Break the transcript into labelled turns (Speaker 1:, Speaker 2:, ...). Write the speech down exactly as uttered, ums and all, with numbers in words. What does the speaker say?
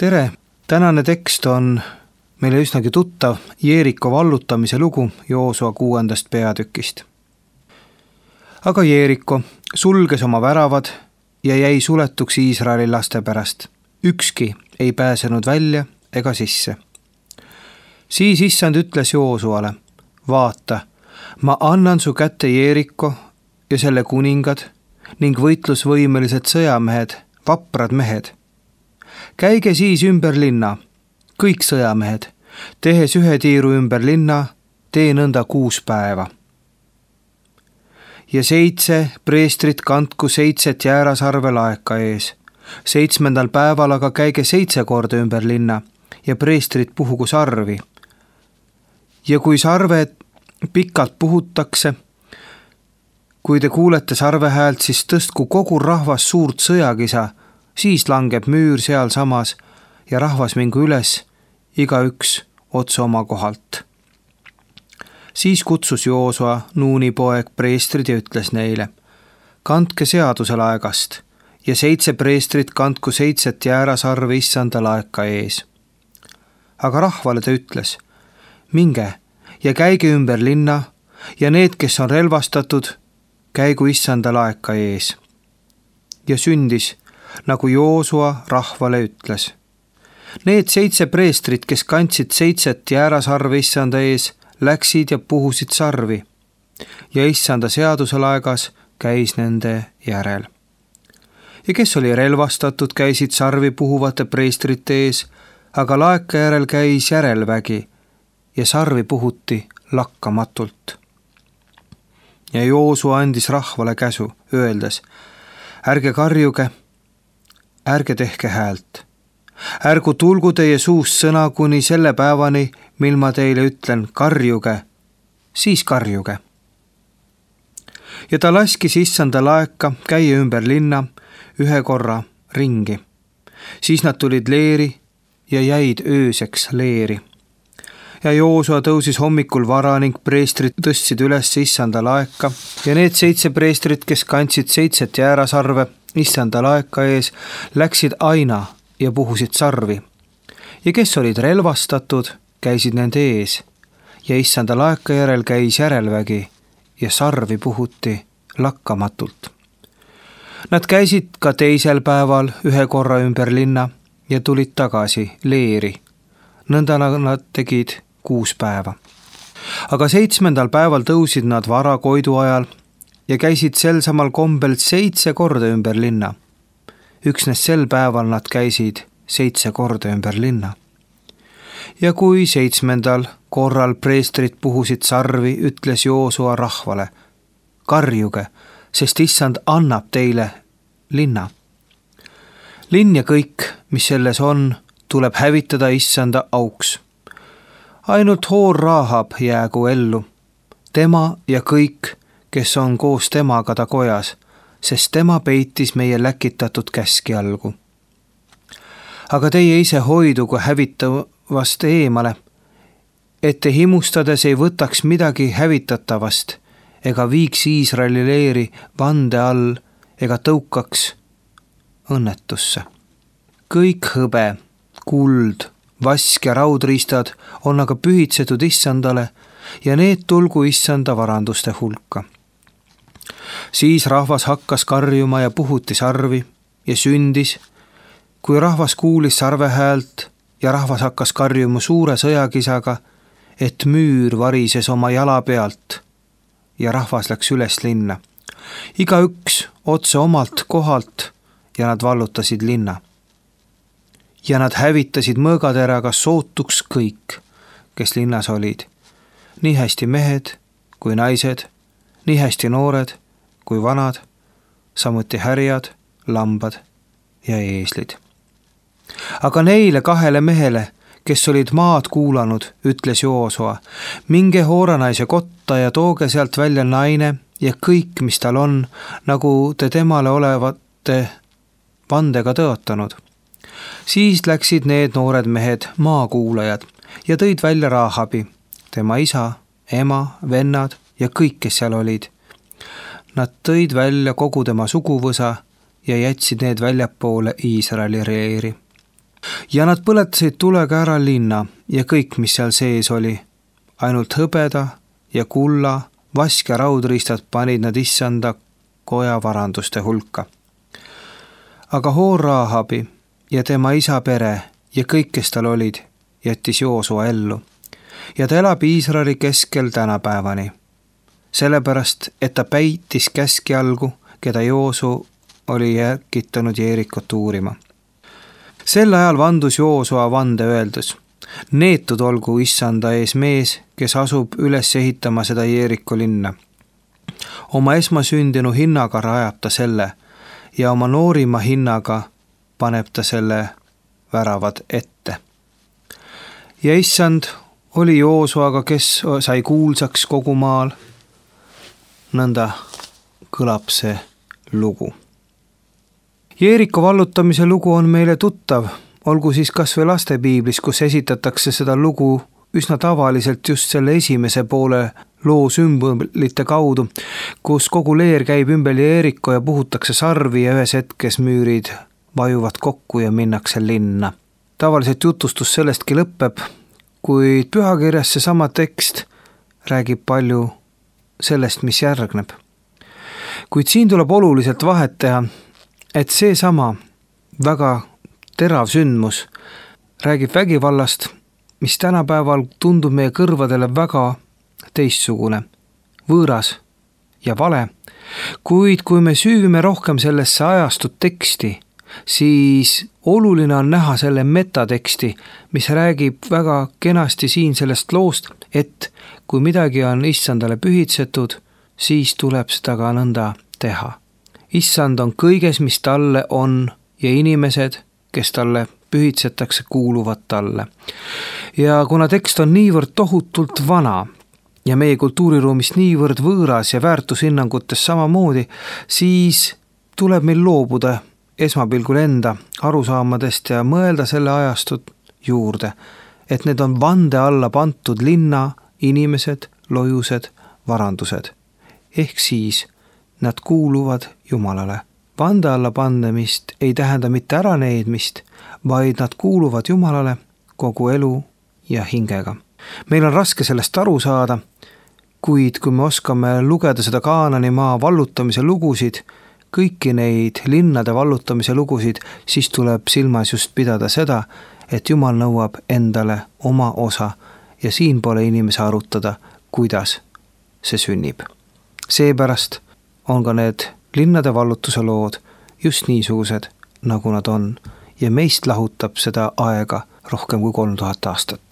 Speaker 1: Tere! Tänane tekst on meile üsnagi tuttav Jeeriko vallutamise lugu Joosua kuuendast peatükist. Aga Jeeriko sulges oma väravad ja jäi suletuks Iisraeli laste pärast. Ükski ei pääsenud välja ega sisse. Siis issand ütles Joosuale, vaata, ma annan su kätte Jeeriko ja selle kuningad ning võitlusvõimelised sõjamehed, vaprad mehed. Käige siis ümber linna, kõik sõjamehed, tehes ühe tiiru ümber linna, tee nõnda kuus päeva. Ja seitse preestrit kandku seitset jäärasarve laeka ees. Seitsmendal päeval aga käige seitse korda ümber linna ja preestrit puhugu sarvi. Ja kui sarve pikalt puhutakse, kui te kuulete sarve häält, siis tõstku kogu rahvas suurt sõjakisa, siis langeb müür seal samas ja rahvas mingu üles, igaüks otse oma kohalt. Siis kutsus Joosua, Nuuni poeg, preestrid ja ütles neile, kandke seaduse laegast ja seitse preestrit kandku seitset jäärasarve issanda laeka ees. Aga rahvale ta ütles, minge ja käige ümber linna ja need, kes on relvastatud, käigu issanda laeka ees. Ja sündis, nagu Joosua rahvale ütles. Need seitse preestrit, kes kandsid seitset jäärasarve issanda ees, läksid ja puhusid sarvi ja issanda seaduse laegas käis nende järel. Ja kes oli relvastatud, käisid sarvi puhuvate preestrite ees, aga laeka järel käis järelvägi ja sarvi puhuti lakkamatult. Ja Joosua andis rahvale käsu, öeldes, ärge karjuge, ärge tehke häält. Ärgu tulgu teie suust sõna kuni selle päevani, mil ma teile ütlen, karjuge, siis karjuge. Ja ta laskis issanda laeka käia ümber linna ühe korra ringi. Siis nad tulid leeri ja jäid ööseks leeri. Ja Joosua tõusis hommikul vara ning preestrid tõstsid üles issanda laeka ja need seitse preestrit, kes kandsid seitset jäärasarve issanda laeka ees, läksid aina ja puhusid sarvi. Ja kes olid relvastatud, käisid nende ees ja issanda laeka järel käis järelvägi ja sarvi puhuti lakkamatult. Nad käisid ka teisel päeval ühe korra ümber linna ja tulid tagasi leeri. Nõnda nad tegid kuus päeva. Aga seitsmendal päeval tõusid nad vara koidu ajal ja käisid sel samal kombel seitse korda ümber linna. Üksnes sel päeval nad käisid seitse korda ümber linna. Ja kui seitsmendal korral preestrid puhusid sarvi, ütles Joosua rahvale, karjuge, sest issand annab teile linna. Linn ja kõik, mis selles on, tuleb hävitada issanda auks. Ainult Hoor Rahab jäägu ellu, tema ja kõik, kes on koos temaga ta kojas, sest tema peitis meie läkitatud käski algu. Aga teie ise hoidugu hävitavast eemale, et te himustades ei võtaks midagi hävitatavast ega viiks Iisraeli leeri vande all ega tõukaks õnnetusse. Kõik hõbe, kuld, vask ja raudriistad on aga pühitsetud issandale ja need tulgu issanda varanduste hulka. Siis rahvas hakkas karjuma ja puhuti sarvi ja sündis, kui rahvas kuulis sarve häält ja rahvas hakkas karjuma suure sõjakisaga, et müür varises oma jala pealt ja rahvas läks üles linna. Igaüks otse omalt kohalt ja nad vallutasid linna. Ja nad hävitasid mõõgateraga sootuks kõik, kes linnas olid. Nii hästi mehed kui naised, nii hästi noored kui vanad, samuti härjad, lambad ja eeslid. Aga neile kahele mehele, kes olid maad kuulanud, ütles Joosua, minge Hooranaise kotta ja tooge sealt välja naine ja kõik, mis tal on, nagu te temale olevate vandega tõotanud. Siis läksid need noored mehed maakuulajad ja tõid välja Rahabi, tema isa, ema, vennad ja kõik, kes seal olid. Nad tõid välja kogu tema suguvõsa ja jätsid need väljapoole Iisraeli reeri. ja nad põletasid tulega ära linna ja kõik, mis seal sees oli. Ainult hõbeda ja kulla, vask ja raudriistad panid nad issanda koja varanduste hulka. Aga Hoor Raahabi ja tema isa pere ja kõik, kes tal olid, jättis Joosua ellu. Ja ta elab Iisraeli keskel tänapäevani. Sellepärast, et ta päitis käskjalgu, keda Joosu oli järkitanud Jeerikot uurima. Sel ajal vandus Joosua vande öeldes: neetud olgu issanda ees mees, kes asub üles ehitama seda Jeeriko linna. Oma esmasündinu hinnaga rajab ta selle ja oma noorima hinnaga paneb ta selle väravad ette. Ja issand oli Joosuaga, kes sai kuulsaks kogu maal. Nõnda kõlab see lugu. Jeeriko vallutamise lugu on meile tuttav, olgu siis kas või lastepiiblis, kus esitatakse seda lugu üsna tavaliselt just selle esimese poole loo sümbolite kaudu, kus kogu leer käib ümber Jeeriko ja puhutakse sarvi ja ühes hetkes müürid vajuvad kokku ja minnakse linna. Tavaliselt jutustus sellestki lõpeb, kuid pühakirjas see sama tekst räägib palju sellest, mis järgneb. Kuid siin tuleb oluliselt vahet teha, et see sama väga terav sündmus räägib vägivallast, mis tänapäeval tundub meie kõrvadele väga teistsugune, võõras ja vale. Kuid kui me süüvime rohkem sellesse ajastut teksti, siis oluline on näha selle metateksti, mis räägib väga kenasti siin sellest loost, et kui midagi on issandale pühitsetud, siis tuleb seda ka nõnda teha. Issand on kõiges, mis talle on, ja inimesed, kes talle pühitsetakse, kuuluvad talle. Ja kuna tekst on niivõrd tohutult vana ja meie kultuuriruumist niivõrd võõras ja väärtushinnangutes samamoodi, siis tuleb meil loobuda esmapilgul enda arusaamadest ja mõelda selle ajastut juurde, et need on vande alla pantud linna, inimesed, lojused, varandused. Ehk siis nad kuuluvad Jumalale. Vande alla pandemist ei tähenda mitte ära needmist, vaid nad kuuluvad Jumalale kogu elu ja hingega. Meil on raske sellest aru saada, kuid kui me oskame lugeda seda Kaanani maa vallutamise lugusid, kõiki neid linnade vallutamise lugusid, siis tuleb silmas just pidada seda, et Jumal nõuab endale oma osa ja siin pole inimese arutada, kuidas see sünnib. Seepärast on ka need linnade vallutuse lood just niisugused, nagu nad on, ja meist lahutab seda aega rohkem kui kolm tuhat aastat.